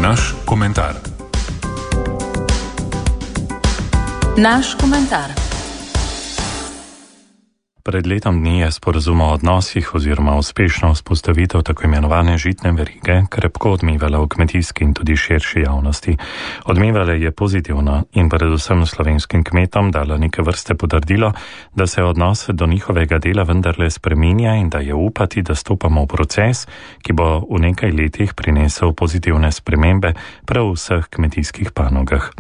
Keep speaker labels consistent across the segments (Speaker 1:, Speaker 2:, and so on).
Speaker 1: Naš komentar.
Speaker 2: Naš komentar.
Speaker 3: Pred letom dni je sporazum o odnosih oziroma uspešno vzpostavitev tako imenovane žitne verige krepko odmevala v kmetijski in tudi širši javnosti. Odmevala je pozitivno in predvsem slovenskim kmetom dala neke vrste potrdilo, da se odnos do njihovega dela vendarle spreminja in da je upati, da stopamo v proces, ki bo v nekaj letih prinesel pozitivne spremembe prav v vseh kmetijskih panogah.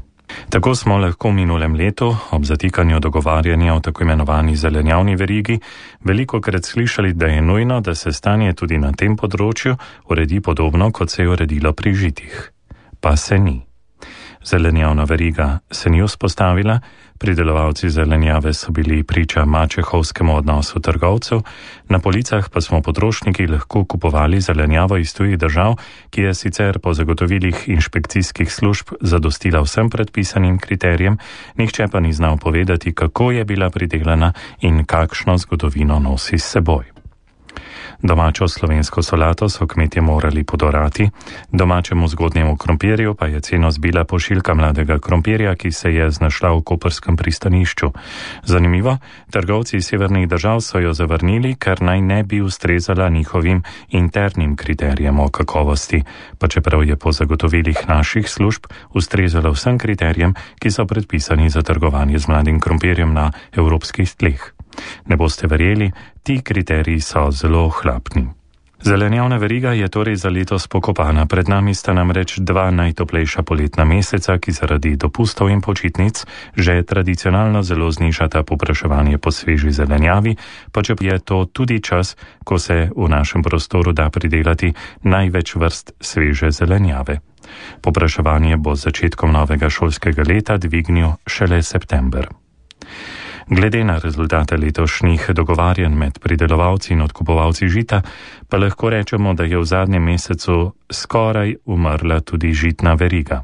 Speaker 3: Tako smo lahko v minulem letu, ob zatikanju dogovarjanja o tako imenovani zelenjavni verigi, velikokrat slišali, da je nujno, da se stanje tudi na tem področju uredi podobno, kot se je uredilo pri žitih. Pa se ni. Zelenjavna veriga se ni vzpostavila, pridelovalci zelenjave so bili priča mačehovskemu odnosu trgovcev, na policah pa smo potrošniki lahko kupovali zelenjavo iz tujih držav, ki je sicer po zagotovilih inšpekcijskih služb zadostila vsem predpisanim kriterijem, nihče pa ni znal povedati, kako je bila pridelana in kakšno zgodovino nosi s seboj. Domačo slovensko solato so kmetje morali podorati, domačemu zgodnjemu krompirju pa je ceno zbila pošiljka mladega krompirja, ki se je znašla v koprskem pristanišču. Zanimivo, trgovci iz severnih držav so jo zavrnili, ker naj ne bi ustrezala njihovim internim kriterijem o kakovosti, pa čeprav je po zagotovilih naših služb ustrezala vsem kriterijem, ki so predpisani za trgovanje z mladim krompirjem na evropskih tleh. Ne boste verjeli, ti kriteriji so zelo ohlapni. Zelenjavna veriga je torej za letos pokopana. Pred nami sta namreč dva najtoplejša poletna meseca, ki zaradi dopustov in počitnic že tradicionalno zelo znižata povpraševanje po sveži zelenjavi, pa če je to tudi čas, ko se v našem prostoru da pridelati največ vrst sveže zelenjave. Povpraševanje bo z začetkom novega šolskega leta dvignil šele september. Glede na rezultate letošnjih dogovarjanj med pridelovalci in odkupovalci žita, pa lahko rečemo, da je v zadnjem mesecu skoraj umrla tudi žitna veriga.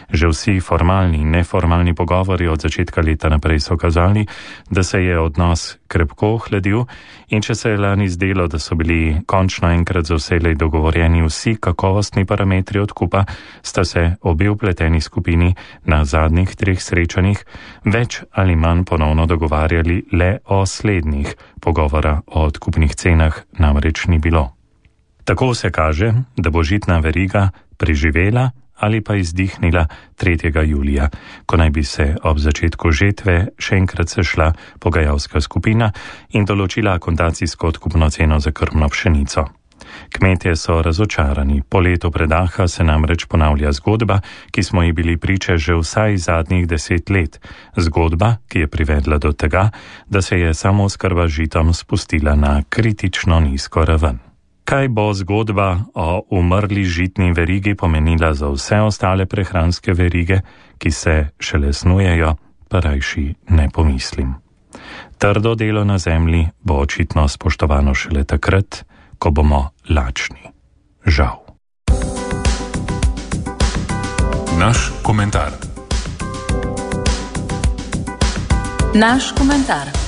Speaker 3: Že vsi formalni in neformalni pogovori od začetka leta naprej so kazali, da se je odnos krepko ohladil in če se je lani zdelo, da so bili končno enkrat za vselej dogovorjeni vsi kakovostni parametri odkupa, sta se obe vpleteni skupini na zadnjih 3 srečanjih več ali manj ponovno dogovarjali le o slednjih. Pogovora o odkupnih cenah namreč ni bilo. Tako se kaže, da bo žitna veriga preživela ali pa izdihnila 3. julija, ko naj bi se ob začetku žetve še enkrat sešla pogajalska skupina in določila akontacijsko odkupno ceno za krmno pšenico. Kmetje so razočarani. Po letu predaha se namreč ponavlja zgodba, ki smo ji bili priče že vsaj zadnjih 10 let. Zgodba, ki je privedla do tega, da se je samooskrba z žitom spustila na kritično nizko raven. Kaj bo zgodba o umrli žitni verigi pomenila za vse ostale prehranske verige, ki se šele snujejo, pa rajši ne pomislim. Trdo delo na zemlji bo očitno spoštovano šele takrat, ko bomo lačni. Žal.
Speaker 1: Naš komentar.
Speaker 2: Naš komentar.